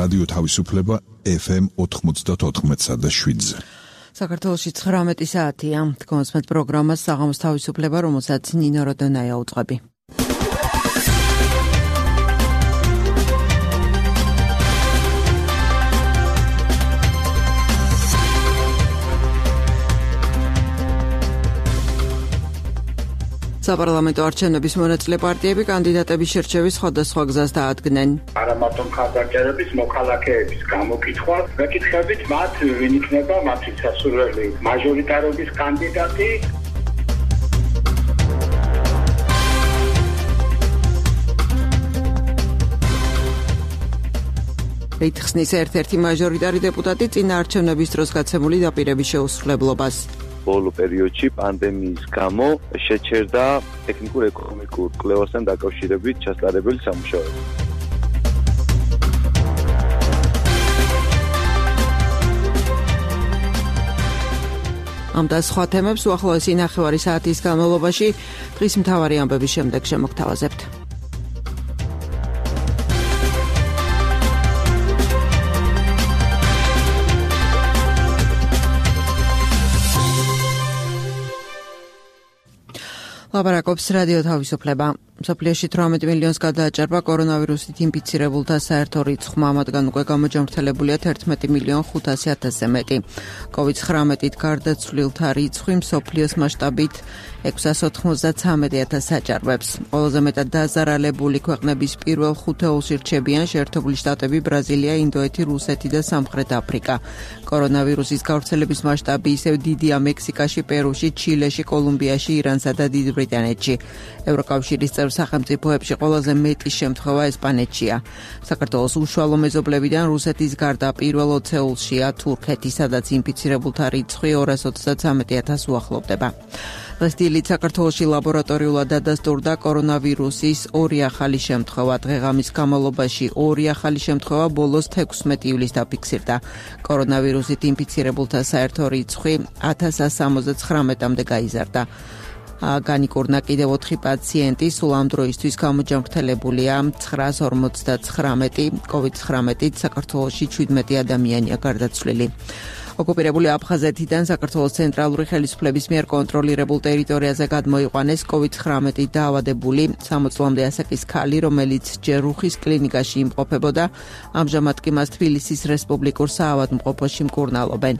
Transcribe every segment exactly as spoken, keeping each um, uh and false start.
რადიო თავისუფლება ეფ ემ ოთხმოცდაოთხ და შვიდზე. საქართველოში ცხრამეტი საათია. თქვენს პროგრამას საღამოს თავისუფლება, რომელსაც ნინო როდონაია უწყები. საპარლამენტო არჩევნების მონაწილე პარტიები კანდიდატების შერჩევის სხვადასხვა გზას დაადგნენ. არა მარტო მხარდამჭერების, მოქალაქეების გამოკითხვა, მეკითხებით მათ, ვინ იქნება მათი სასურველი მაჟორიტარობის კანდიდატი. ითხოვნის ერთ-ერთი მაჟორიტარი დეპუტატი წინა არჩევნების დროს გაცემული დაპირების შეუსრულებლობას. ბოლო პერიოდში პანდემიის გამო შეჩერდა ტექნიკურ-ეკონომიკურ კვლევასთან დაკავშირებით ჩასწარებელი სამუშაოები. ამ და სხვა თემებს უახლოესი ნახევარი საათის განმავლობაში დღის მთავარი ამბების შემდეგ შემოგთავაზებთ. ლაპარაკობს რადიო თავისუფლება. მსოფლიოში თვრამეტ მილიონს გადააჭარბა კორონავირუსით ინფიცირებულთა საერთო რიცხვმა, მათგან უკვე გამოჯამრთელებულია თერთმეტი მილიონი ხუთასი ათასზე მეტი. კოვიდ ცხრამეტით გარდაცვლილთა რიცხვი მსოფლიოს მასშტაბით ექვსას ოთხმოცდათვრამეტი ათასს აჭარბებს. ყველაზე მეტად დაზარალებული ქვეყნების პირველ ხუთეულში რჩებიან შეერთებული შტატები, ბრაზილია, ინდოეთი, რუსეთი და სამხრეთ აფრიკა. კორონავირუსის გავრცელების მასშტაბი ისევ დიდია მექსიკაში, პერუში, ჩილეში, კოლუმბიაში, ირანსა და დიდ ბრიტანეთში. ევროკავშირის წევრ სახელმწიფოებში ყველაზე მეტი შემთხვევა ესპანეთშია. საქართველოს უშუალო მეზობლებიდან რუსეთის გარდა პირველ ოცეულშია თურქეთი, სადაც ინფიცირებულთა რიცხვი ორას ოცდათვრამეტი ათასს უახლოვდება. დღეს დილით საქართველოში ლაბორატორიულად დადასტურდა კორონავირუსის ორი ახალი შემთხვევა. დღეღამის განმავლობაში ორი ახალი შემთხვევა ბოლოს თექვსმეტი ივლისს დაფიქსირდა. კორონავირუსით ინფიცირებულთა საერთო რიცხვი ათას სამოცდათვრამეტამდე გაიზარდა. განიკურნა კიდევ ოთხი პაციენტი, სულ ამ დროისთვის გამოჯამრთელებულია ცხრას ორმოცდათვრამეტი, კოვიდ ცხრამეტით საქართველოში შვიდმეტი ადამიანია გარდაცვლილი. ოკუპირებული აფხაზეთიდან საქართველოს ცენტრალური ხელისუფლების მიერ კონტროლირებულ ტერიტორიაზე გადმოიყვანეს კოვიდ ცხრამეტით დაავადებული სამოცი წლამდე ასაკის ქალი, რომელიც ჯერ რუხის კლინიკაში იმყოფებოდა, ამჟამად კი მას თბილისის რესპუბლიკურ საავადმყოფოში მკურნალობენ.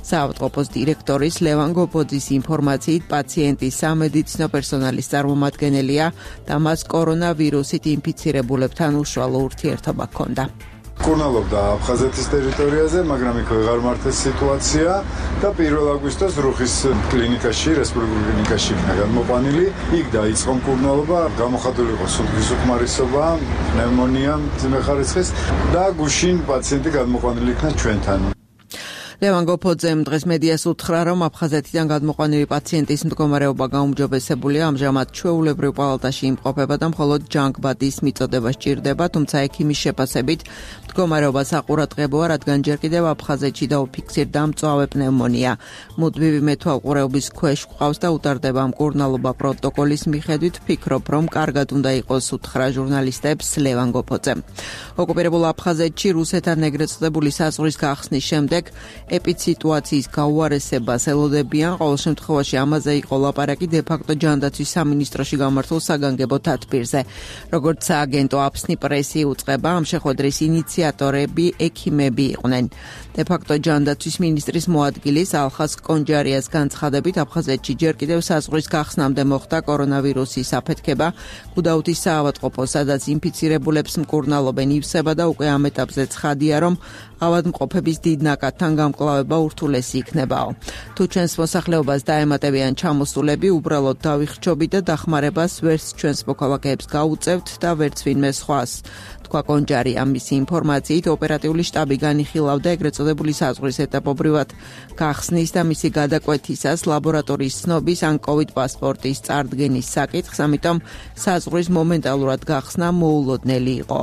საავადმყოფოს დირექტორის ლევან გობოძის ინფორმაციით პაციენტი სამედიცინო პერსონალის წარმომადგენელია და მას კორონავირუსით ინფიცირებულებთან უშუალო ურთიერთობა ჰქონდა. მკურნალობდა აფხაზეთის ტერიტორიაზე, მაგრამ იქ ვეღარ მართეს სიტუაცია და პირველ აგვისტოს რუხის კლინიკაში, რესპუბლიკურ კლინიკაში იქნა გადმოყვანილი. იქ დაიწყო მკურნალობა, გამოხატული იყო სუნთქვის უკმარისობა, პნევმონია მძიმე ხარისხის და გუშინ პაციენტი გადმოყვანილი იქნა ჩვენთან. ლევან გობოძემ დღეს მედიას უთხრა, რომ აფხაზეთიდან გადმოყვანილი პაციენტის მდგომარეობა გაუმჯობესებულია, ამჟამად ჩვეულებრივ პალატაში იმყოფება და მხოლოდ ჯანგბადის მიწოდება სჭირდება, თუმცა ექიმის შეფასებით მდგომარეობა საყურადღებოა, რადგან ჯერ კიდევ აფხაზეთში დაუფიქსირდა მწვავე პნევმონია. მუდმივი მეთვალყურეობის ქვეშ ყავს და უტარდება მკურნალობა პროტოკოლის მიხედვით, ვფიქრობ, რომ კარგად უნდა იყოს, უთხრა ჟურნალისტებს ლევან გობოძემ. ოკუპირებულ აფხაზეთში რუსეთთან ეგრეთ წოდებული საზღვრის გახსნის შემდეგ ეპიდსიტუაციის გაუარესებას ელოდებიან, ყოველ შემთხვევაში ამაზე იყო ლაპარაკი დე-ფაქტო ჯანდაცვის სამინისტროში გამართულ საგანგებო თათბირზე. როგორც სააგენტო აფსნი პრესი უწყება, ამ შეხვედრის ინიციატორები ექიმები იყვნენ. დე-ფაქტო ჯანდაცვის მინისტრის მოადგილის ალხას კონჯარიას განცხადებით, აფხაზეთში ჯერ კიდევ საზღვრის გახსნამდე მოხდა კორონავირუსის აფეთქება. გუდაუთის საავადმყოფო, სადაც ინფიცირებულებს მკურნალობენ, ივსება და უკვე ამ ეტაპზე ცხადია, რომ ავადმყოფების დიდ ნაკადთან გამკლავება ურთულესი იქნებაო. თუ ჩვენს მოსახლეობას დაემატებიან ჩამოსულები, უბრალოდ დავიხრჩობი და დახმარებას ვერც ჩვენს მოქალაქეებს გაუწევთ და ვერც ვინმე სხვას. თქვა კონჯარია. მისი ინფორმაციით ოპერატიული შტაბი განიხილავდა ეგრეთ წოდებული საზღვრის ეტაპობრივად გახსნის და მისი გადაკვეთისას ლაბორატორიის ცნობის ან კოვიდ პასპორტის წარდგენის საკითხს, ამიტომ საზღვრის მომენტალურად გახსნა მოულოდნელი იყო.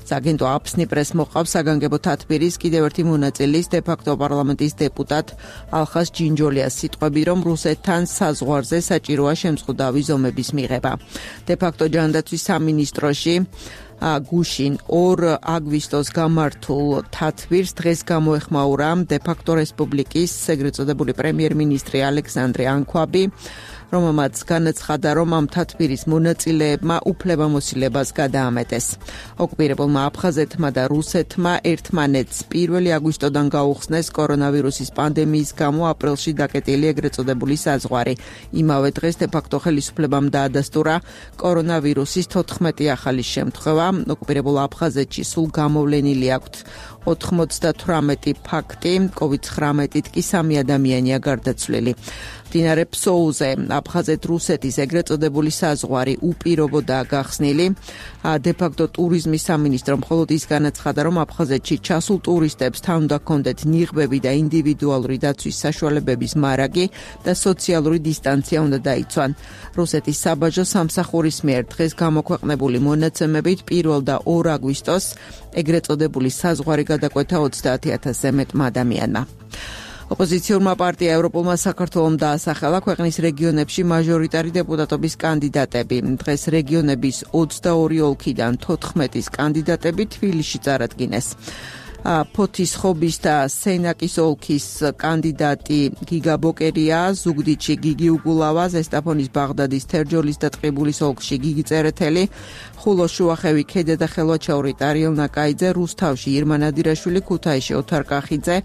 სააგენტო აფსნი პრეს მოყავს საგანგებო თათბირის კიდევ ერთი მონაწილის დე-ფაქტო პარლამენტის დეპუტატ ალხას ჯინჯოლიას სიტყვები, რომ რუსეთთან საზღვარზე საჭიროა შემწყუდავი ზომების მიღება. დე-ფაქტო ჯანდაცვის სამინისტროში გუშინ ორ აგვისტოს გამართულ თათბირს დღეს გამოეხმაურა დე-ფაქტო რესპუბლიკის ეგრეთ წოდებული პრემიერ-მინისტრი ალექსანდრე ანქვაბი, რომელმაც განაცხადა, რომ ამ თათბირის მონაწილეებმა უფლებამოსილებას გადაამეტეს. ოკუპირებულმა აფხაზეთმა და რუსეთმა ერთმანეთს პირველი აგვისტოდან გაუხსნეს კორონავირუსის პანდემიის გამო აპრილში დაკეტილი ეგრეთ წოდებული საზღვარი. იმავე დღეს დე-ფაქტო ხელისუფლებამ დაადასტურა კორონავირუსის თოთხმეტი ახალი შემთხვევა. ოკუპირებულ აფხაზეთში სულ გამოვლენილი აქვთ ოთხმოცდათვრამეტი ფაქტი, კოვიდ ცხრამეტით კი სამი ადამიანია გარდაცვლილი. მდინარე ფსოუზე აფხაზეთ-რუსეთის ეგრეთ წოდებული საზღვარი უპირობოდაა გახსნილი. დე-ფაქტო ტურიზმის სამინისტრო მხოლოდ ის განაცხადა, რომ აფხაზეთში ჩასულ ტურისტებს თან უნდა ჰქონდეთ ნიღბები და ინდივიდუალური დაცვის საშუალებების მარაგი და სოციალური დისტანცია უნდა დაიცვან. რუსეთის საბაჟო სამსახურის მიერ დღეს გამოქვეყნებული მონაცემებით პირველ და ორ აგვისტოს ეგრეთ წოდებული საზღვარი გადაკვეთა ოცდაათი ათასზე მეტმა ადამიანმა. ოპოზიციურმა პარტია ევროპულმა საქართველომ დაასახელა ქვეყნის რეგიონებში მაჟორიტარი დეპუტატობის კანდიდატები. დღეს რეგიონების ოცდაორი ოლქიდან თოთხმეტის კანდიდატები თბილისში წარადგინეს. ფოთის-ხობის და სენაკის ოლქის კანდიდატი გიგა ბოკერია, ზუგდიდში გიგი უგულავა, ზესტაფონის ბაღდადის, თერჯოლის და ტყიბულის ოლქში გიგი წერეთელი, ხულოს შუახევი ქედა და ხელვაჩაური ტარიელ ნაკაიძე, რუსთავში ირმა ნადირაშვილი, ქუთაისში ოთარ კახიძე,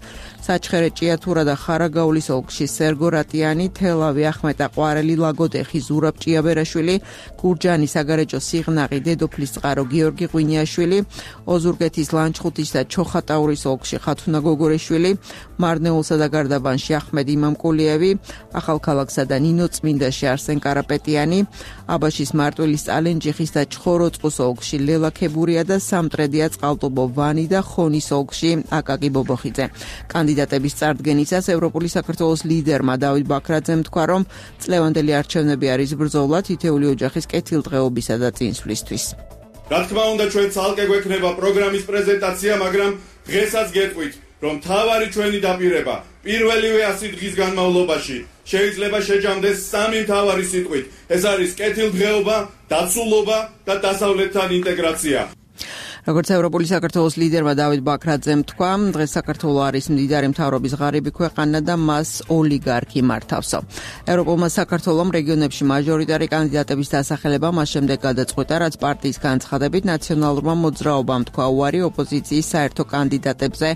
საჩხერე ჭიათურა და ხარაგაულის ოლქში სერგო რატიანი, თელავი ახმეტა ყვარელი, ლაგოდეხი ზურაბ ჭიაბერაშვილი, გურჯანის საგარეჯო სიღნაღი, დედოფლის წყარო გიორგი ღვინიაშვილი, ოზურგეთის ლანჩხუთის და ჩოხატაურის ოლქში ხათუნა გოგორეშვილი, მარნეულსა და გარდაბანში ახმედ იმამკულიევი, ახალქალაქსა და ნინოწმინდაში არსენ კარაპეტიანი, აბაშის მარტვილის წალენჯიხის და ჩხოროწყუს ოლქში ლელა ქებურია და სამტრედია წყალტუბო ვანი და ხონის ოლქში აკაკი ბობოხიძე. კანდიდატების წარდგენისას ევროპული საქართველოს ლიდერმა დავით ბაქრაძემ თქვა, რომ წლევანდელი არჩევნები არის ბრძოლა თითოეული ოჯახის კეთილდღეობისა და წინსვლისთვის. რა თქმა უნდა, ჩვენ ცალკე გვექნება პროგრამის პრეზენტაცია, მაგრამ დღესაც გეტყვით, რომ მთავარი ჩვენი დაპირება პირველივე ასი დღის განმავლობაში შეიძლება შეჯამდეს სამი მთავარი სიტყვით. ეს არის კეთილდღეობა, დაცულობა და დასავლეთთან ინტეგრაცია. როგორც ევროპული საქართველოს ლიდერმა დავით ბაქრაძემ თქვა, დღეს საქართველო არის მდიდარი მთავრობის ღარიბი ქვეყანა და მას ოლიგარქი მართავსო. ევროპულმა საქართველომ რეგიონებში მაჟორიტარი კანდიდატების დასახელება მას შემდეგ გადაწყვიტა, რაც პარტიის განცხადებით ნაციონალურმა მოძრაობამ თქვა უარი ოპოზიციის საერთო კანდიდატებზე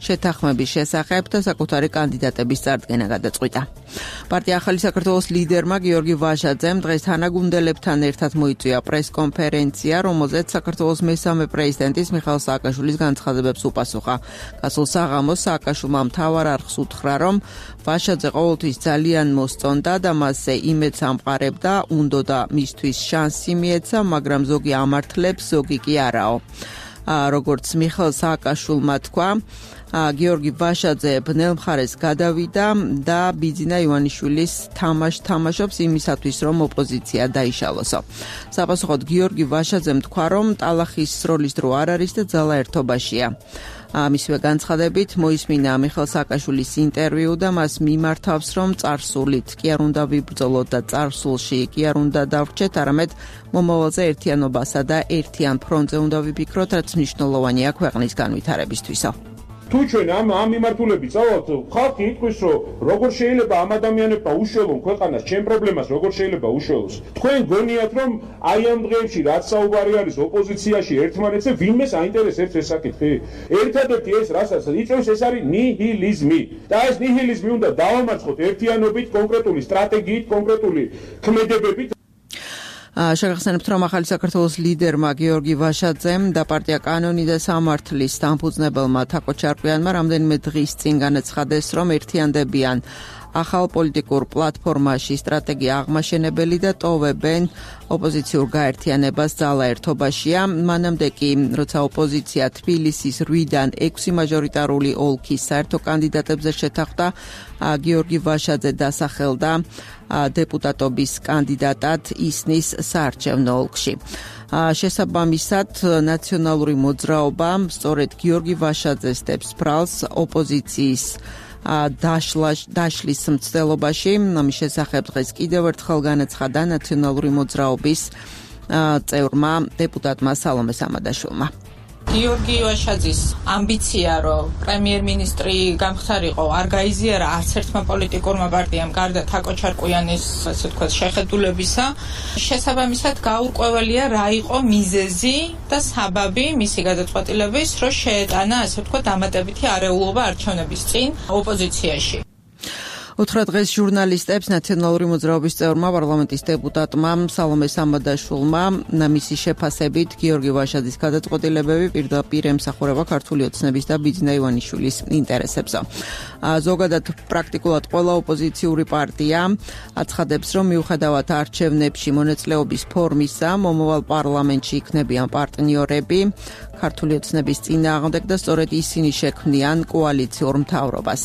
შეთანხმების შესახებ და საკუთარი კანდიდატების წარდგენა გადაწყვიტა. პარტია ახალი საქართველოს ლიდერმა გიორგი ვაშაძემ დღეს თანაგუნდელებთან ერთად მოიწვია პრესკონფერენცია, რომელზეც საქართველოს მესამე პრეზიდენტის მიხაილ სააკაშვილის განცხადებებს უპასუხა. გასულ საღამოს სააკაშვილმა მთავარ არხს უთხრა, რომ ვაშაძე ყოველთვის ძალიან მოსწონდა და მასზე იმედს ამყარებდა, უნდოდა მისთვის შანსი მიეცა, მაგრამ ზოგი ამართლებს, ზოგი კი არაო. როგორც მიხაილ სააკაშვილმა თქვა, გიორგი ვაშაძე ბნელ მხარეს გადავიდა და ბიძინა ივანიშვილის თამაშ თამაშობს იმისათვის, რომ ოპოზიცია დაიშალოსო. საპასუხოდ გიორგი ვაშაძემ თქვა, რომ ტალახის სროლის დრო არ არის და ძალა ერთობაშია. მისივე განცხადებით მოისმინა მიხაილ სააკაშვილის ინტერვიუ და მას მიმართავს, რომ წარსულით კი არ უნდა ვიბრძოლოთ და წარსულში კი არ უნდა დავრჩეთ, არამედ მომავალზე ერთიანობასა და ერთიან ფრონტზე უნდა ვიფიქროთ, რაც მნიშვნელოვანია ქვეყნის განვითარებისთვისო. თუ ჩვენ ამ ამ მიმართულებით წავთ, ხალხი იტყვის, რომ როგორ შეიძლება ამ ადამიანებმა უშველონ ქვეყანას, ჩემ პრობლემას როგორ შეიძლება უშველოს. თქვენ გონიათ, რომ აი ამ დღეებში რაც საუბარი არის ოპოზიციაში ერთმანეთზე, ვინმეს აინტერესებს ეს საკითხი? ერთადერთი ეს, რასაც იწევს, ეს არის ნიჰილიზმი. და ეს ნიჰილიზმი უნდა დავამარცხოთ ერთიანობით, კონკრეტული სტრატეგიით, კონკრეტული ქმედებებით. შეგახსენებთ, რომ ახალი საქართველოს ლიდერმა გიორგი ვაშაძემ და პარტია კანონი და სამართლის დამფუძნებელმა თაკო ჩარკვიანმა რამდენიმე დღის წინ განაცხადეს, რომ ერთიანდებიან ახალ პოლიტიკურ პლატფორმაში სტრატეგია აღმაშენებელი და ტოვებენ ოპოზიციურ გაერთიანებას ძალა ერთობაშია. მანამდე კი, როცა ოპოზიცია თბილისის რვიდან ექვსი მაჟორიტარული ოლქის საერთო კანდიდატებზე შეთანხმდა, გიორგი ვაშაძე დასახელდა დეპუტატობის კანდიდატად ისნის საარჩევნო ოლქში. შესაბამისად, ნაციონალური მოძრაობა სწორედ გიორგი ვაშაძეს დებს ბრალს ოპოზიციის დაშლის მცდელობაში. ამის შესახებ დღეს კიდევ ერთხელ განაცხადა ნაციონალური მოძრაობის წევრმა დეპუტატმა სალომე სამადაშვილმა. გიორგი ვაშაძის ამბიცია, რომ პრემიერ-მინისტრი გამხდარიყო, არ გაიზიარა არც ერთმა პოლიტიკურმა პარტიამ გარდა თაკო ჩარკვიანის, ასე ვთქვათ, შეხედულებისა. შესაბამისად, გაურკვეველია რა იყო მიზეზი და საბაბი მისი გადაწყვეტილების, რომ შეეტანა, ასე ვთქვათ, დამატებითი არეულობა არჩევნების წინ ოპოზიციაში. უთხრა დღეს ჟურნალისტებს ნაციონალური მოძრაობის წევრმა პარლამენტის დეპუტატმა სალომე სამადაშვილმა მისი შეფასებით გიორგი ვაშაძის გადაწყვეტილებები პირდაპირ ემსახურება ქართული ოცნების და ბიძინა ივანიშვილის ინტერესებზე. ზოგადად პრაქტიკულად ყველა ოპოზიციური პარტია აცხადებს, რომ მიუხედავად არჩევნებში მონაწილეობის ფორმისა, მომავალ პარლამენტში იქნებიან პარტნიორები ქართული ოცნების წინააღმდეგ და სწორედ ისინი შექმნიან კოალიციურ მთავრობას.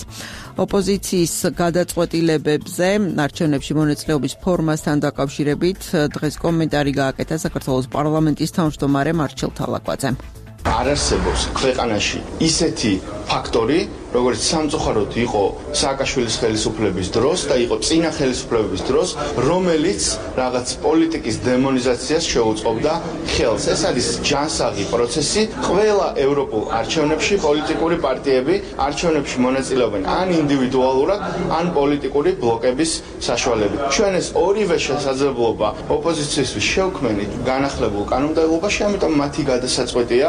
ოპოზიციის გადაწყვეტილებებზე არჩევნებში მონაწილეობის ფორმასთან დაკავშირებით დღეს კომენტარი გააკეთა საქართველოს პარლამენტის თავმჯდომარე მარჩელ თალაკვაძემ. არ არსებობს ქვეყანაში ისეთი ფაქტორი, როგორც სამწუხაროდ იყო სააკაშვილის ხელისუფლების დროს და იყო წინა ხელისუფლებების დროს, რომელიც რაღაც პოლიტიკის დემონიზაციას შეუწყობდა ხელს. ეს არის ჯანსაღი პროცესი. ყველა ევროპულ არჩევნებში პოლიტიკური პარტიები არჩევნებში მონაწილეობენ ან ინდივიდუალურად, ან პოლიტიკური ბლოკების საშუალებით. ჩვენ ეს ორივე შესაძლებლობა ოპოზიციისთვის შევქმნით განახლებულ კანონმდებლობაში, ამიტომ მათი გადასაწყვეტია.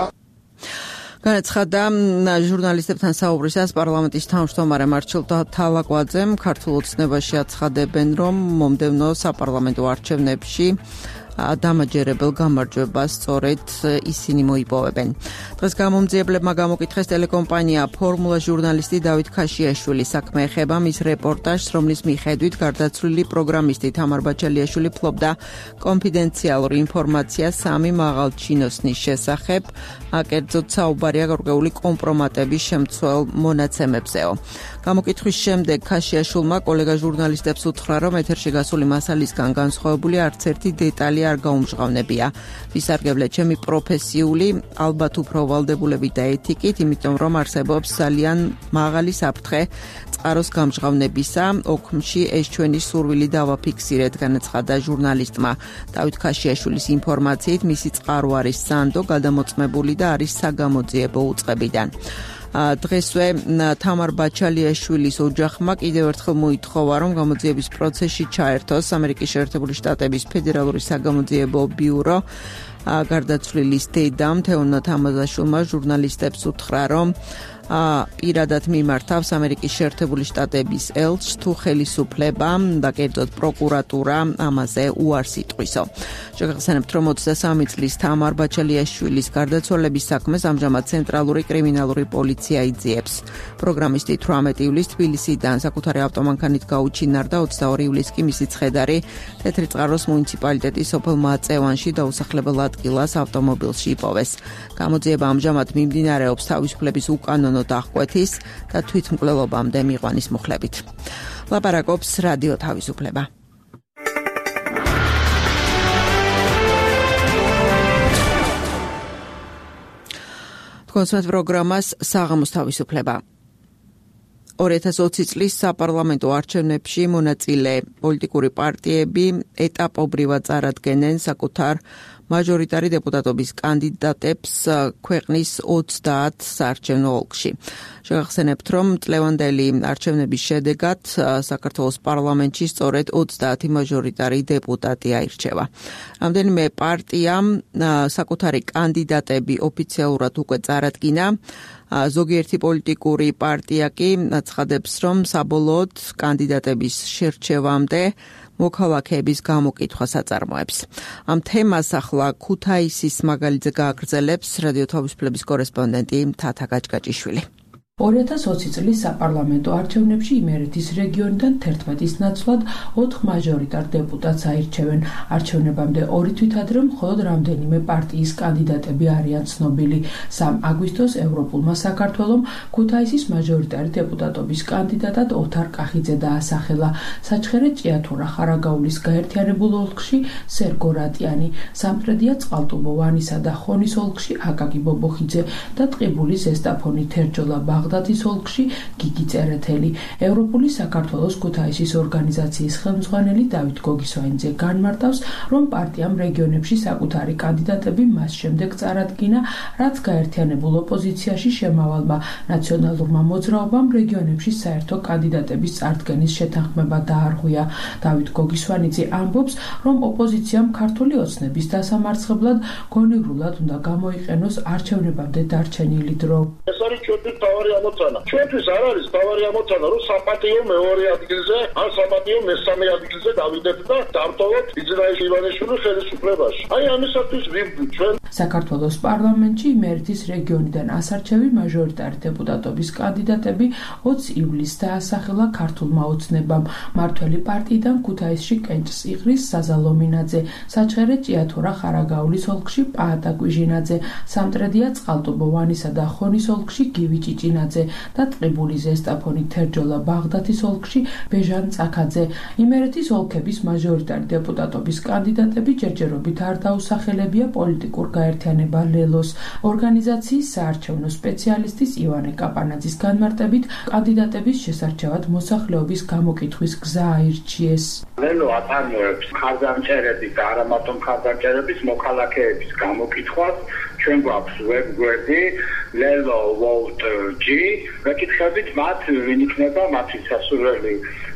განაცხადა ჟურნალისტებთან საუბრისას პარლამენტის თავმჯდომარე მარჩელ თალაკვაძემ. ქართულ ოცნებაში აცხადებენ, რომ მომდევნო საპარლამენტო არჩევნებში დამაჯერებელ გამარჯვებას სწორედ ისინი მოიპოვებენ. დღეს გამომძიებლებმა გამოკითხეს ტელეკომპანია ფორმულა ჟურნალისტი დავით ქაშიაშვილის საქმე ეხება მის რეპორტაჟს, რომლის მიხედვით გარდაცვლილი პროგრამისტი თამარ ბაჩალიაშვილი ფლობდა კონფიდენციალურ ინფორმაციას სამი მაღალჩინოსნის შესახებ, კერძოდ საუბარია გარკვეული კომპრომატების შემცველ მონაცემებზეო. გამოკითხვის შემდეგ ქაშიაშვილმა კოლეგა ჟურნალისტებს უთხრა, რომ ეთერში გასული მასალისგან განსხვავებული არც ერთი დეტალი არ გაუმჟღავნებია. ვისარგებლე ჩემი პროფესიული, ალბათ უფრო ვალდებულებით და ეთიკით, იმიტომ რომ არსებობს ძალიან მაღალი საფრთხე წყაროს გამჟღავნებისა. ოქმში ეს ჩვენი სურვილი დავაფიქსირეთ, განაცხადა ჟურნალისტმა. დავით ქაშიაშვილის ინფორმაციით, მისი წყარო არის სანდო, გადამოწმებული და არის საგამოძიებო უწყებიდან. დღესვე თამარ ბაჩალიაშვილის ოჯახმა კიდევ ერთხელ მოითხოვა, რომ გამოძიების პროცესში ჩაერთოს ამერიკის შეერთებული შტატების ფედერალური საგამოძიებო ბიურო. გარდაცვლილის დედამ თეონა თამაზაშვილმა ჟურნალისტებს უთხრა, რომ პირადად მიმართავს ამერიკის შეერთებული შტატების ელჩს თუ ხელისუფლება და კერძოდ პროკურატურა ამაზე უარს იტყვისო. შეგახსენებთ, რომ ოცდასამი წლის თამარ ბაჩალიაშვილის გარდაცვალების საქმეს ამჟამად ცენტრალური კრიმინალური პოლიცია იძიებს. პროგრამისტი თვრამეტი ივლისს თბილისიდან საკუთარი ავტომანქანით გაუჩინარდა, ოცდაორი ივლისს კი მისი ცხედარი თეთრიწყაროს მუნიციპალიტეტის სოფელ მაწევანში დაუსახლებელ ადგილას ავტომობილში იპოვეს. გამოძიება ამჟამად მიმდინარეობს თავისუფლების უკანონო დახკვეთის და თვითმკვლელობამდე მიყვანის მოხლებით. ლაპარაკობს რადიო თავისუფლება. კონსერტ პროგრამას საღამოს თავისუფლება. ორი ათას ოცი წლის საპარლამენტო არჩევნებში მონაწილე პოლიტიკური პარტიები ეტაპობრივად წარადგენენ საკუთარ მაჟორიტარი დეპუტატობის კანდიდატებს ქვეყნის ოცდაათ საარჩევნო ოლქში. შეგახსენებთ, რომ წლევანდელი არჩევნების შედეგად საქართველოს პარლამენტში სწორედ ოცდაათი მაჟორიტარი დეპუტატი აირჩევა. რამდენიმე პარტიამ საკუთარი კანდიდატები ოფიციალურად უკვე წარადგინა. ზოგიერთი პოლიტიკური პარტია კი აცხადებს, რომ საბოლოოდ კანდიდატების შერჩევამდე მოქალაქეების გამოკითხვას აწარმოებს. ამ თემას ახლა ქუთაისის მაგალითზე გააგრძელებს რადიო თავისუფლების კორესპონდენტი თათა გაჭგაჭიშვილი. ორი ათას ოცი წლის საპარლამენტო არჩევნებში იმერეთის რეგიონიდან თერთმეტის ნაცვლად ოთხ მაჟორიტარ დეპუტატს აირჩევენ. არჩევნებამდე ორი თვით ადრე მხოლოდ რამდენიმე პარტიის კანდიდატები არიან ცნობილი. სამი აგვისტოს ევროპულმა საქართველომ ქუთაისის მაჟორიტარი დეპუტატობის კანდიდატად ოთარ კახიძე დაასახელა. საჩხერე ჭიათურა ხარაგაულის გაერთიანებულ ოლქში სერგო რატიანი, სამტრედია წყალტუბო ვანისა და ხონის ოლქში აკაკი ბობოხიძე და ტყიბულის ზესტაფონი თერჯოლა ბაღ ბაღდათის ოლქში გიგი წერეთელი. ევროპული საქართველოს ქუთაისის ორგანიზაციის ხელმძღვანელი დავით გოგისვაინძე განმარტავს, რომ პარტიამ რეგიონებში საკუთარი კანდიდატები მას შემდეგ წარადგინა, რაც გაერთიანებულ ოპოზიციაში შემავალმა ნაციონალურმა მოძრაობამ რეგიონებში საერთო კანდიდატების წარდგენის შეთანხმება დაარღვია. დავით გოგისვაინძე ამბობს, რომ ოპოზიციამ ქართული ოცნების დასამარცხებლად გონივრულად უნდა გამოიყენოს არჩევნებამდე დარჩენილი დრო. ეს არის ჩვენთვის თავარი ამოცანა. ჩვენთვის არ არის თავარი ამოცანა, რომ საპატიო მეორე ადგილზე, ან საპატიო მესამე ადგილზე დავიდეთ და დავტოვოთ იძრაელი ივანიშვილის ხელისუფლებაში. აი ამისათვის ვიბრძვით ჩვენ. საქართველოს პარლამენტში იმერეთის რეგიონიდან ასარჩევი მაჟორიტარი დეპუტატობის კანდიდატები ოცი ივლისს დაასახელა ქართულმა ოცნებამ. მართველი პარტიიდან ქუთაისში კენჭს იღრის საზა ლომინაძე, საჩხერე ჭიათურა ხარაგაულის ოლქში პაატა კვიჟინაძე, სამტრედია წყალტუბო ვანისა და ხონის ოლქში გივი ჭიჭინაძე და ტყიბული ზესტაფონი თერჯოლა ბაღდათის ოლქში ბეჟან წაქაძე. იმერეთის ოლქების მაჟორიტარი დეპუტატობის კანდიდატები ჯერჯერობით არ დაუსახელებია პოლიტიკურ გაერთიანება ლელოს. ორგანიზაციის საარჩევნო სპეციალისტის ივანე კაპანაძის განმარტებით, კანდიდატების შესარჩევად მოსახლეობის გამოკითხვის გზა აირჩიეს. ლელო აწარმოებს ხარდამჭერების და არა მარტო ხარდამჭერების მოქალაქეების გამოკითხვას. ჩვენ გვაქვს ვებგვერდი lelo vote g ვეკითხებით მათ ვინ იქნება მათი სასურველი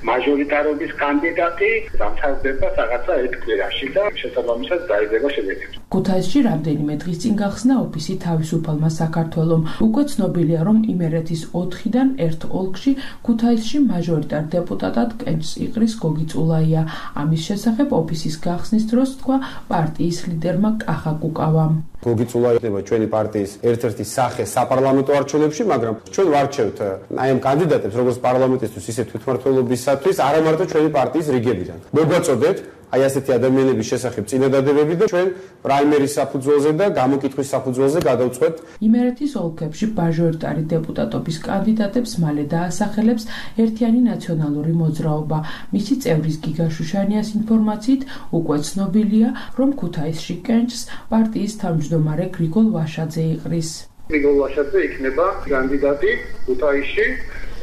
მაჟორიტარობის კანდიდატი დამთავრდება რაღაცა ერთ კვირაში და შესაბამისად დაიდება შედეგი. ქუთაისში რამდენიმე დღის წინ გახსნა ოფისი თავისუფალმა საქართველომ. უკვე ცნობილია, რომ იმერეთის ოთხიდან ერთ ოლქში ქუთაისში მაჟორიტარ დეპუტატად კენჭს იღრის გოგი წულაია. ამის შესახებ ოფისის გახსნის დროს თქვა პარტიის ლიდერმა კახა კუკავამ. გოგი წულაია ხდება ჩვენი პარტიის ერთ-ერთი სახე საპარლამენტო არჩევნებში, მაგრამ ჩვენ ვარჩევთ აი ამ კანდიდატებს როგორც პარლამენტისთვის, ისე თვითმმართველობისათვის, არა მარტო ჩვენი პარტიის რიგებიდან. მოგვაწოდეთ აი ასეთი ადამიანების შესახებ წინადადებები და ჩვენ პრაიმერის საფუძველზე და გამოკითხვის საფუძველზე გადავწყვეტ. იმერეთის ოლქებში მაჟორიტარი დეპუტატობის კანდიდატებს მალე დაასახელებს ერთიანი ნაციონალური მოძრაობა. მისი წევრის გიგა შუშანიას ინფორმაციით უკვე ცნობილია, რომ ქუთაისში კენჭს პარტიის თავმჯდომარე გრიგოლ ვაშაძე იყრის. გრიგოლ ვაშაძე იქნება კანდიდატი ქუთაისში,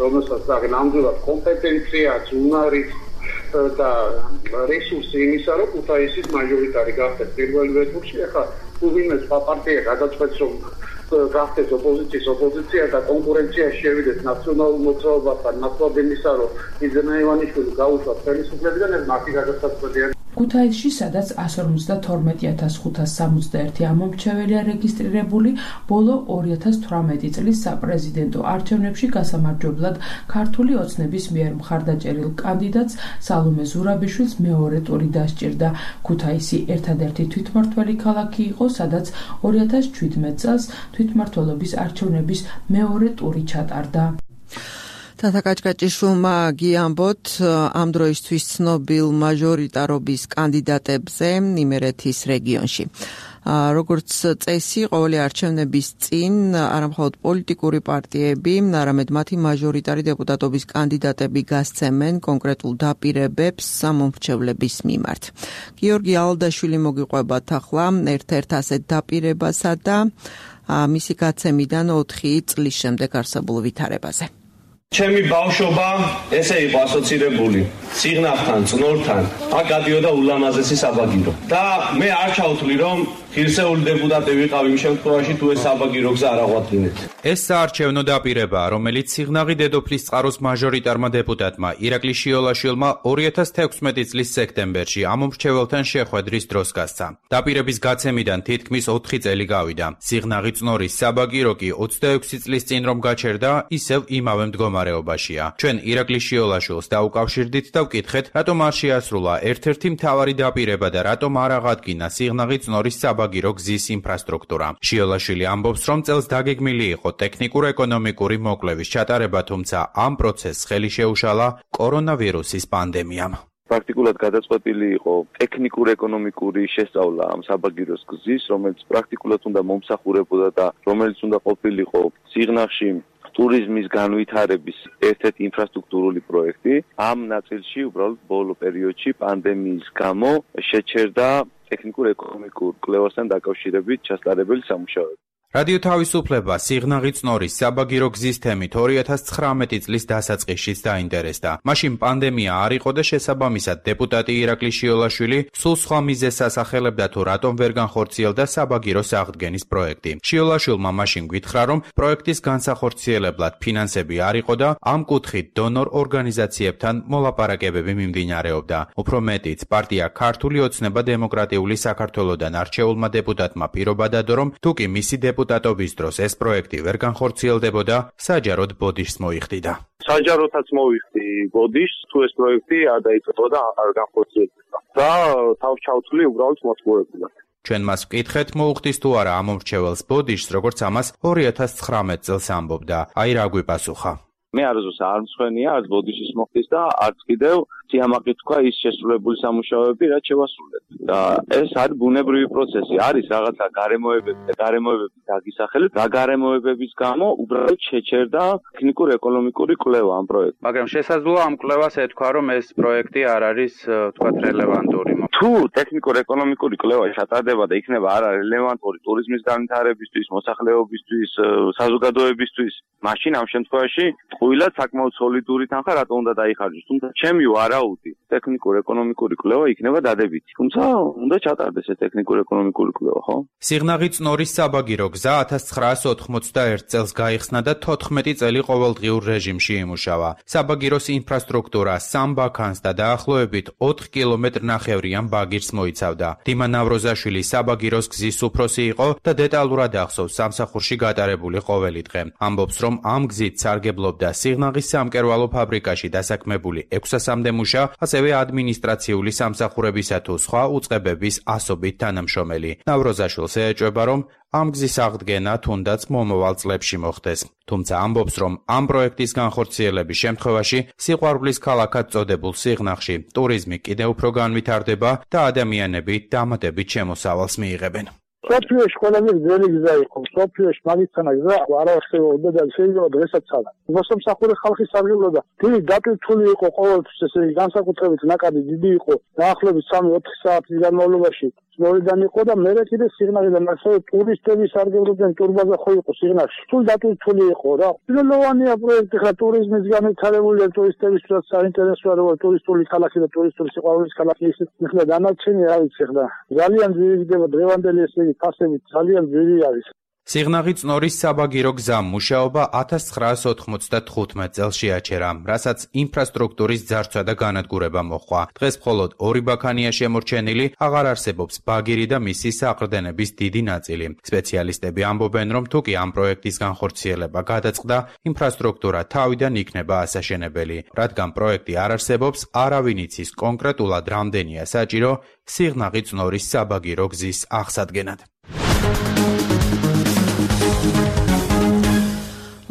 რომელსაც ნამდვილად კომპეტენციაც, უნარიც და რესურსი იმისა, რომ ქუთაისის მაჟორიტარი გახდეს პირველივე ტურში. ახლა თუ ვინმე სხვა პარტია გადაწყვეტს, რომ გახდეს ოპოზიციის ოპოზიცია და კონკურენციაში შევიდეს ნაციონალურ მოძრაობასთან, ნაცვლად იმისა, რომ იძრაელი ივანიშვილი გაუშვათ ხელისუფლებიდან, ეს მათი გადაწყვეტია. ქუთაისში, სადაც εκατს ორმოცდათორმეტი ათას ხუთას სამოცდაერთი ამომრჩეველია რეგისტრირებული, ბოლო ორი ათას თვრამეტი წლის საპრეზიდენტო არჩევნებში გასამარჯვებლად ქართული ოცნების მიერ მხარდაჭერილ კანდიდატს სალომე ზურაბიშვილს მეორე ტური დასჭირდა. ქუთაისი ერთადერთი თვითმმართველი ქალაქი იყო, სადაც ორი ათას ჩვიდმეტ წელს თვითმმართველობის არჩევნების მეორე ტური ჩატარდა. თათა კაჭკაჭიშვილმა გიამბოთ ამ დროისთვის ცნობილ მაჟორიტარობის კანდიდატებზე იმერეთის რეგიონში. როგორც წესი, ყოველი არჩევნების წინ არამხოლოდ პოლიტიკური პარტიები, არამედ მათი მაჟორიტარი დეპუტატობის კანდიდატები გასცემენ კონკრეტულ დაპირებებს სამომრჩევლების მიმართ. გიორგი ალდაშვილი მოგიყვებათ ახლა ერთ-ერთ ასეთ დაპირებასა და მისი გაცემიდან ოთხი წლის შემდეგ არსებულ ვითარებაზე. ჩემი ბავშვობა ესე იყო ასოცირებული სიგნალთან, წნორთან, აქ გადიოდა ულამაზესი საბაგირო. და მე არ ჩავთვლი, რომ ღირსეული დეპუტატი ვიყავ იმ შემთხვევაში, თუ ეს საბაგირო გზა არ აღვადგინეთ. ეს საარჩევნო დაპირებაა, რომელიც სიღნაღი დედოფლის წყაროს მაჟორიტარმა დეპუტატმა ირაკლი შიოლაშვილმა ორი ათას თექვსმეტი წლის სექტემბერში ამომრჩეველთან შეხვედრის დროს გასცა. დაპირების გაცემიდან თითქმის ოთხი წელი გავიდა. სიღნაღი წნორის საბაგირო კი ოცდაექვსი წლის წინ რომ გაჩერდა, ისევ იმავე მდგომარეობაშია. ჩვენ ირაკლი შიოლაშვილს დაუკავშირდით და ვკითხეთ, რატომ არ შეასრულა ერთ-ერთი მთავარი დაპირება და რატომ არ აღადგინა სიღნაღი წნორის საბაგირო გზის ინფრასტრუქტურა. შიოლაშვილი ამბობს, რომ წელს დაგეგმილი იყო ტექნიკურ-ეკონომიკური მოკვლევის ჩატარება, თუმცა ამ პროცესს ხელი შეუშალა კორონავირუსის პანდემიამ. პრაქტიკულად გადაწყვეტილი იყო ტექნიკურ-ეკონომიკური შესწავლა ამ საბაგიროს გზის, რომელიც პრაქტიკულად უნდა მომსახურებოდა და რომელიც უნდა ყოფილიყო სიღნაღში ტურიზმის განვითარების ერთ-ერთი ინფრასტრუქტურული პროექტი. ამ ნაწილში უბრალოდ ბოლო პერიოდში პანდემიის გამო შეჩერდა ტექნიკურ-ეკონომიკურ კვლევასთან დაკავშირებით ჩასტარებელი სამუშაოები. რადიო თავისუფლება სიღნაღი წნორის საბაგირო გზის თემით ორი ათას ცხრამეტი წლის დასაწყისშიც დაინტერესდა. მაშინ პანდემია არ იყო და შესაბამისად დეპუტატი ირაკლი შიოლაშვილი სულ სხვა მიზეზს ასახელებდა თუ რატომ ვერ განხორციელდა საბაგირო აღდგენის პროექტი. შიოლაშვილმა მაშინ გითხრა, რომ პროექტის განსახორციელებლად ფინანსები არ იყო და ამ კუთხით დონორ ორგანიზაციებთან მოლაპარაკებები მიმდინარეობდა. უფრო მეტიც, პარტია ქართული ოცნება დემოკრატიული საქართველოდან არჩეულმა დეპუტატმა პირობა დადო, რომ თუკი მისი დეპუტატობის დროს ეს პროექტი ვერ განხორციელდებოდა, საჯაროდ ბოდიშს მოიხდიდა. საჯაროდაც მოიხდი ბოდიშს, თუ ეს პროექტი არ დაიწყებოდა, არ განხორციელდებოდა და თავს ჩავთვლი უბრალოდ მოწყობილად. ჩვენ მას ვკითხეთ, მოუხდის თუ არა ამომრჩეველს ბოდიშს, როგორც ამას ორი ათას ცხრამეტ წელს ამბობდა. აი რა გვიპასუხა. მე არასდროს არ მწვენია, არც ბოდიშის მოხდის და არც კიდევ სიამაყით თქვა ის შესრულებული სამუშაოები, რაც შევასრულეთ. და ეს არის ბუნებრივი პროცესი, არის რაღაცა გარემოებები და გარემოებების დაგისახელებით, რა გარემოებების გამო უბრალოდ შეჩერდა ტექნიკურ-ეკონომიკური კვლევა ამ პროექტს. მაგრამ შესაძლოა ამ კვლევას ეთქვა, რომ ეს პროექტი არ არის, თქვათ, რელევანტური. თუ ტექნიკურ-ეკონომიკური კვლევა ჩატარდება და იქნება არა რელევანტური ტურიზმის განვითარებისთვის, მოსახლეობისთვის, საზოგადოებისთვის, მაშინ ამ შემთხვევაში ყვილად საკმაოდ სოლიდური თანხა რატომ უნდა დაიხარჯოს. თუმცა ჩემი ვარაუდი ტექნიკურ-ეკონომიკური კვლევა იქნება დადებითი. თუმცა უნდა ჩატარდეს ეს ტექნიკურ-ეკონომიკური კვლევა, ხო? სიღნაღი წნორის საბაგირო გზა ათას ცხრაას ოთხმოცდაერთ წელს გაიხსნა და თოთხმეტი წელი ყოველდღიურ რეჟიმში იმუშავა. საბაგიროს ინფრასტრუქტურა სამ ბაქანს და დაახლოებით ოთხ კილომეტრ ნახევრიან ბაგირს მოიცავდა. დიმა ნავროზაშვილი საბაგიროს გზის უფროსი იყო და დეტალურად ახსოვს სამსახურში გატარებული ყოველი დღე. ამბობს, რომ ამ გზით სარგებლობდა სიღნაღის სამკერვალო ფაბრიკაში დასაქმებული ექვსასამდე მუშა, ასევე ადმინისტრაციული სამსახურებისა თუ სხვა უწყებების ასობით თანამშრომელი. ნავროზაშვილს ეეჭვება, რომ ამ გზის აღდგენა თუნდაც მომავალ წლებში მოხდეს. თუმცა ამბობს, რომ ამ პროექტის განხორციელების შემთხვევაში სიყვარულის ქალაქად წოდებულ სიღნაღში ტურიზმი კიდევ უფრო განვითარდება და ადამიანები დამატებით შემოსავალს მიიღებენ. სოფიოში ყველაზე ძველი გზა იყო. სოფიოში მაგისტრალა გზა არ არსებობდა და შეიძლება დღესაც არა. მოსამსახურე ხალხი სარგებლობდა. დიდი დატვირთული იყო ყოველთვის, ესე იგი განსაკუთრებით ნაკადი დიდი იყო. დაახლოებით სამი ოთხი საათის განმავლობაში მორიდან იყო და მერე კიდე სიღნაღიდან ასევე ტურისტები სარგებლობდნენ, ტურბაზა ხო იყო სიღნაღში. სულ დატვირთული იყო რა. პირველოვანია პროექტი ხა ტურიზმის განვითარებული ტურისტებისთვის საინტერესოა, რომ ტურისტული ქალაქი და ტურისტული სიყვარულის ქალაქი ისე ხლა დანარჩენი რა ვიცი ხლა. ძალიან ძვირი ხდება დღევანდელი ესე იგი ფასებით ძალიან ძვირი არის. სიღნაღი წნორის საბაგირო გზა მუშაობა ათას ცხრაას ოთხმოცდათხუთმეტ წელს შეაჩერა, რასაც ინფრასტრუქტურის ძარცვა და განადგურება მოჰყვა. დღეს მხოლოდ ორი ბაქანია შემორჩენილი, აღარ არსებობს ბაგირი და მისი საყრდენების დიდი ნაწილი. სპეციალისტები ამბობენ, რომ თუკი ამ პროექტის განხორციელება გადაწყდა, ინფრასტრუქტურა თავიდან იქნება ასაშენებელი. რადგან პროექტი არ არსებობს, არავინ იცის კონკრეტულად რამდენია საჭირო სიღნაღი წნორის საბაგირო გზის აღსადგენად.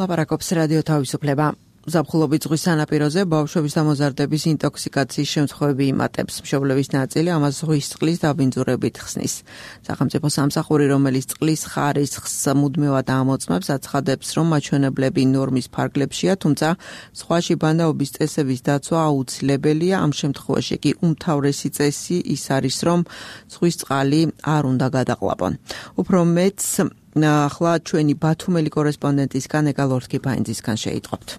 ლაპარაკობს რადიო თავისუფლება. ზაფხულობით ზღვის სანაპიროზე ბავშვების და მოზარდების ინტოქსიკაციის შემთხვევები იმატებს. მშობლების ნაწილი ამას ზღვის წყლის დაბინძურებით ხსნის. სახელმწიფო სამსახური, რომელიც წყლის ხარისხს მუდმივად ამოწმებს, აცხადებს, რომ მაჩვენებლები ნორმის ფარგლებშია, თუმცა ზღვაში ბანაობის წესების დაცვა აუცილებელია. ამ შემთხვევაში კი უმთავრესი წესი ის არის, რომ ზღვის წყალი არ უნდა გადაყლაპონ. უფრო მეც ახლა ჩვენი ბათუმელი კორესპონდენტისგან ეკალორთკი ფაინძისგან შეიტყობთ.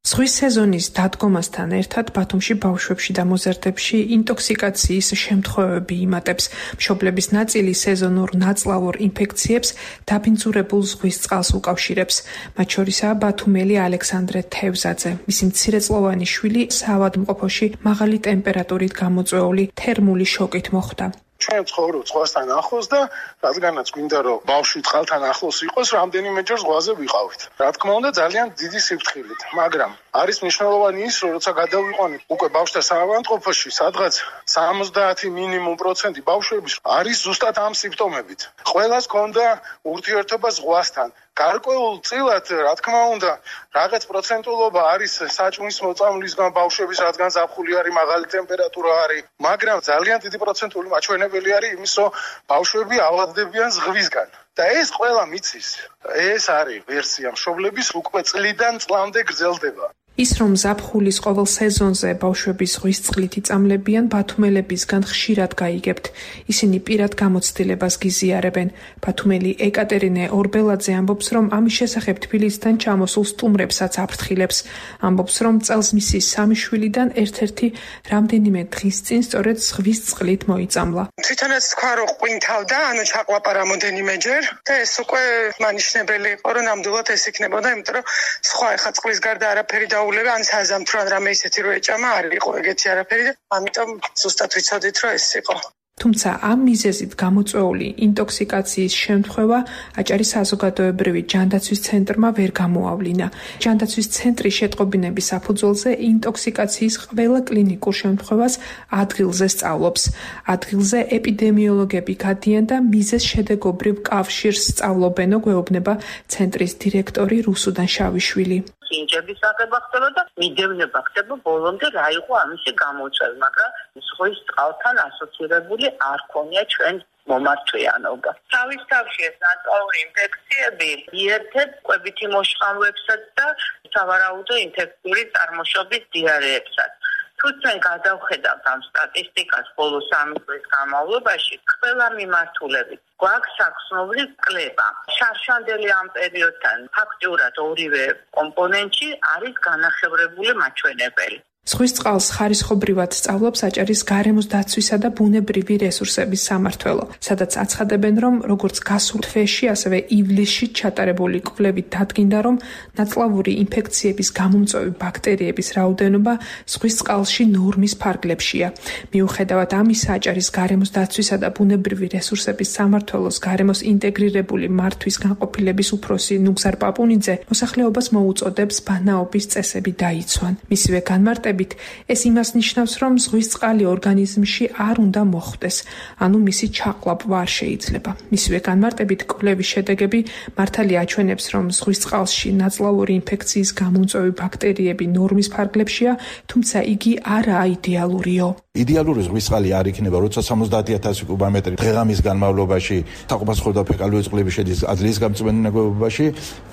ზღვის სეზონის დადგომასთან ერთად ბათუმში ბავშვებში და მოზარდებში ინტოქსიკაციის შემთხვევები იმატებს. მშობლების ნაწილი სეზონურ ნაწლავურ ინფექციებს დაბინძურებულ ზღვის წყალს უკავშირებს. მათ შორისაა ბათუმელი ალექსანდრე თევზაძე. მისი მცირეწლოვანი შვილი საავადმყოფოში მაღალი ტემპერატურით გამოწვეული თერმული შოკით მოხვდა. ჩვენ ცხოვრობ ზღვასთან ახლოს და რადგანაც გვინდა რომ ბავშვი წყალთან ახლოს იყოს, რამდენიმეჯერ ზღვაზე ვიყავით. რა თქმა უნდა, ძალიან დიდი სიფრთხილით, მაგრამ არის მნიშვნელოვანი ის, რომ როცა გადავიყვანეთ უკვე ბავშვთა საავადმყოფოში, სადღაც სამოცდაათი მინიმუმ პროცენტი ბავშვების არის ზუსტად ამ სიმპტომებით. ყველას ჰქონდა ურთიერთობა ზღვასთან. გარკვეულ წილად, რა თქმა უნდა, რაღაც პროცენტულობა არის საჭმლის მოწამვლისგან ბავშვების, რადგან ზაფხული არის, მაღალი ტემპერატურა არის, მაგრამ ძალიან დიდი პროცენტული მაჩვენებელი არის იმის, რომ ბავშვები ავადდებიან ზღვისგან. და ეს ყველა მიცის. ეს არის ვერსია მშობლების უკვე წლიდან წლამდე გრძელდება. ის რომ ზაფხულის ყოველ სეზონზე ბავშვები ზღვის წყლით იწამლებიან, ბათუმელებისგან ხშირად გაიგებთ. ისინი პირად გამოცდილებას გიზიარებენ. ბათუმელი ეკატერინე ორბელაძე ამბობს, რომ ამის შესახებ თბილისიდან ჩამოსულ სტუმრებსაც აფრთხილებს. ამბობს, რომ წელს მისი სამი შვილიდან ერთ-ერთი რამდენიმე დღის წინ სწორედ ზღვის წყლით მოიწამლა. თვითონაც თქვა, რომ ყვინთავდა, ანუ ჩაყლაპა რამოდენიმეჯერ და ეს უკვე მანიშნებელი იყო, რომ ნამდვილად ეს იქნებოდა, იმიტომ რომ სხვა ეხა წყლის გარდა არაფერი დაულება, ან საზამთრო ან რამე ისეთი რო ეჭამა, არ იყო ეგეთი არაფერი და ამიტომ ზუსტად ვიცოდით, რომ ეს იყო. თუმცა ამ მიზეზით გამოწვეული ინტოქსიკაციის შემთხვევა აჭარის საზოგადოებრივი ჯანდაცვის ცენტრმა ვერ გამოავლინა. ჯანდაცვის ცენტრი შეტყობინების საფუძველზე ინტოქსიკაციის ყველა კლინიკურ შემთხვევას ადგილზე სწავლობს. ადგილზე ეპიდემიოლოგები გადიან და მიზეზ შედეგობრივ კავშირს სწავლობენო, გვეუბნება ცენტრის დირექტორი რუსუდან შავიშვილი. ინჯების აღება ხდება და მიდევნება ხდება ბოლომდე რა იყო ამისი გამოწვევა, მაგრამ ზღვის წყალთან ასოცირებული არ ქონია ჩვენ მომართვიანობა. თავის თავში ეს ნაწლავური ინფექციები მიერთებს კვებითი მოშხამვებსაც და სავარაუდო ინფექციური წარმოშობის დიარეებსაც. თუ ჩვენ გადავხედავთ ამ სტატისტიკას ბოლო სამი წლის განმავლობაში, ყველა მიმართულებით გვაქვს საქსნობრივ კლება. შარშანდელი ამ პერიოდთან ფაქტიურად ორივე კომპონენტში არის განახევრებული მაჩვენებელი. ზღვის წყალს ხარისხობრივად სწავლობს აჭარის გარემოს დაცვისა და ბუნებრივი რესურსების სამმართველო, სადაც აცხადებენ, რომ როგორც გასულ თვეში, ასევე ივლისში ჩატარებული კვლევით დადგინდა, რომ ნაწლავური ინფექციების გამომწვევი ბაქტერიების რაოდენობა ზღვის წყალში ნორმის ფარგლებშია. მიუხედავად ამისა, აჭარის გარემოს დაცვისა და ბუნებრივი რესურსების სამმართველოს გარემოს ინტეგრირებული მართვის განყოფილების უფროსი ნუგზარ პაპუნიძე მოსახლეობას მოუწოდებს ბანაობის წესები დაიცვან. მისივე განმარტებით ეს იმას ნიშნავს, რომ ზღვის წყალი ორგანიზმში არ უნდა მოხვდეს, ანუ მისი ჩაყლაპვა არ შეიძლება. მისივე განმარტებით კვლევის შედეგები მართალია აჩვენებს, რომ ზღვის წყალში ნაწლავური ინფექციის გამომწვევი ბაქტერიები ნორმის ფარგლებშია, თუმცა იგი არაა იდეალურიო. იდეალური ზღვის წყალი არ იქნება, როცა სამოცდაათი ათასი კუბომეტრი დღე-ღამის განმავლობაში საყოფაცხოვრდა ფეკალიური წყლები შედის აძლიის გამწვენე ნაგებობაში,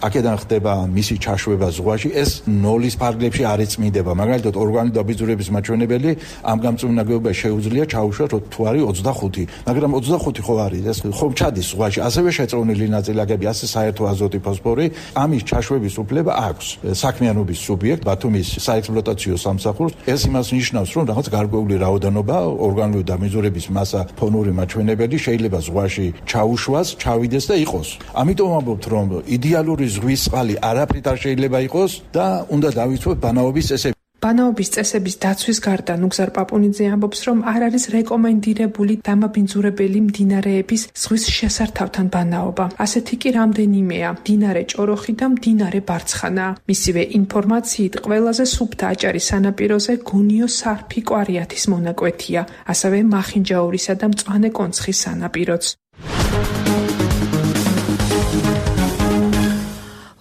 აქედან ხდება მისი ჩაშვება ზღვაში, ეს ნოლის ფარგლებში არ იწმინდება. მაგალითად, ორგანული დაბინძურების მაჩვენებელი ამ გამწვენე ნაგებობაში შეუძლია ჩაუშვათ თუ არის ოცდახუთი, მაგრამ ოცდახუთი ხო არის, ეს ხომ ჩადის ზღვაში, ასევე შეწროვნილი ნაწილაკები, ასე საერთო აზოტი, ფოსფორი, ამის ჩაშვების უფლება აქვს საქმიანობის სუბიექტ ბათუმის საექსპლუატაციო სამსახურს. ეს იმას ნიშნავს, რომ რაღაც გარკვეული რაოდენობა ორგანული დაბინძურების მასა, ფონური მაჩვენებელი შეიძლება ზღვაში ჩაუშვას, ჩავიდეს და იყოს. ამიტომ ამბობთ, რომ იდეალური ზღვის წყალი არაფრით არ შეიძლება იყოს და უნდა დავიცვათ ბანაობის წესები. ბანაობის წესების დაცვის გარდა ნუგზარ პაპუნიძე ამბობს, რომ არ არის რეკომენდირებული დამაბინძურებელი მდინარეების ზღვის შესართავთან ბანაობა. ასეთი კი რამდენიმეა: მდინარე ჭოროხი და მდინარე ბარცხანა. მისივე ინფორმაციით ყველაზე სუფთა აჭარის სანაპიროზე გუნიო სარფი კვარიათის მონაკვეთია, ასევე მახინჯაურისა და მწვანე კონცხის სანაპიროც.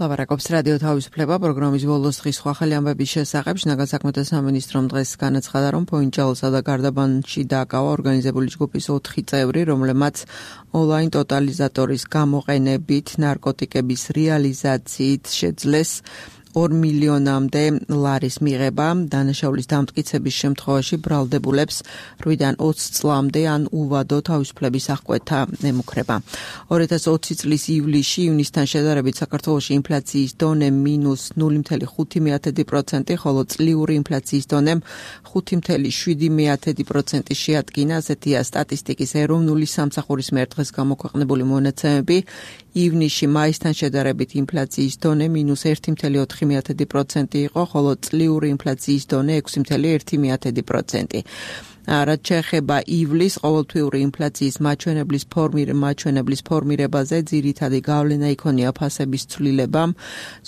ლაპარაკობს რადიო თავისუფლება პროგრამის ბოლოს დღის სხვა ხელი ამბების შესახებ. შინაგან საქმეთა სამინისტრომ დღეს განაცხადა, რომ ფოინჯალოსა და გარდაბანში დააკავა ორგანიზებული ჯგუფის ოთხი წევრი, რომლებმაც ონლაინ ტოტალიზატორის გამოყენებით ნარკოტიკების რეალიზაციით შეძლეს ორ მილიონამდე ლარის მიღება. დანაშაულის დამტკიცების შემთხვევაში ბრალდებულებს რვიდან ოცი წლამდე ან უვადო თავისუფლების აღკვეთა ემუქრება. ორი ათას ოცი წლის ივლისში ივნისთან შედარებით საქართველოში ინფლაციის დონე მინუს ნული ფاصლე ხუთი პროცენტი, ხოლო წლიური ინფლაციის დონემ ხუთი ფاصლე შვიდი პროცენტი შეადგინა. ასეთია სტატისტიკის ეროვნული სამსახურის მიერ დღეს გამოქვეყნებული მონაცემები. ივნისში მაისთან შედარებით ინფლაციის დონე მინუს ერთი ფاصლე ოთხი პროცენტი იყო, ხოლო წლიური ინფლაციის დონე ექვსი ფاصლე ერთი პროცენტი. რაც შეეხება ივლის ყოველთვიური ინფლაციის მაჩვენებლის ფორმირ მაჩვენებლის ფორმირებაზე, ძირითადი გავლენა იქონია ფასების ცვლილებამ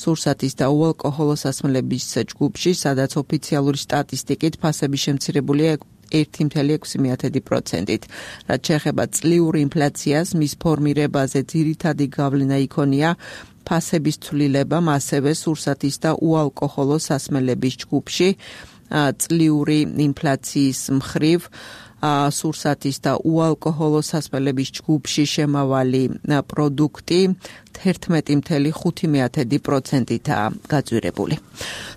სურსათის და უალკოჰოლო სასმელების ჯგუფში, სადაც ოფიციალური სტატისტიკით ფასები შემცირებულია ერთი ფاصლე ექვსი პროცენტით. რაც შეეხება წლიური ინფლაციას, მის ფორმირებაზე ძირითადი გავლენა იქონია ფასების ცვლილებამ, ასევე სურსათის და უალკოჰოლო სასმელების ჯგუფში. წლიური ინფლაციის მხრივ სურსათის და უალკოჰოლო სასმელების ჯგუფში შემავალი პროდუქტი თერთმეტი წუთი ხუთი პროცენტითაა გაძვირებული.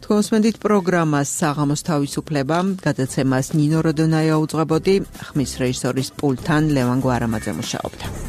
თქვენ უსმენთ პროგრამას საღამოს თავისუფლება, გადაცემას ნინო როდონაია უძღვებოდი, ხმის რეჟისორის პულტთან ლევან გვარამაძე მუშაობდა.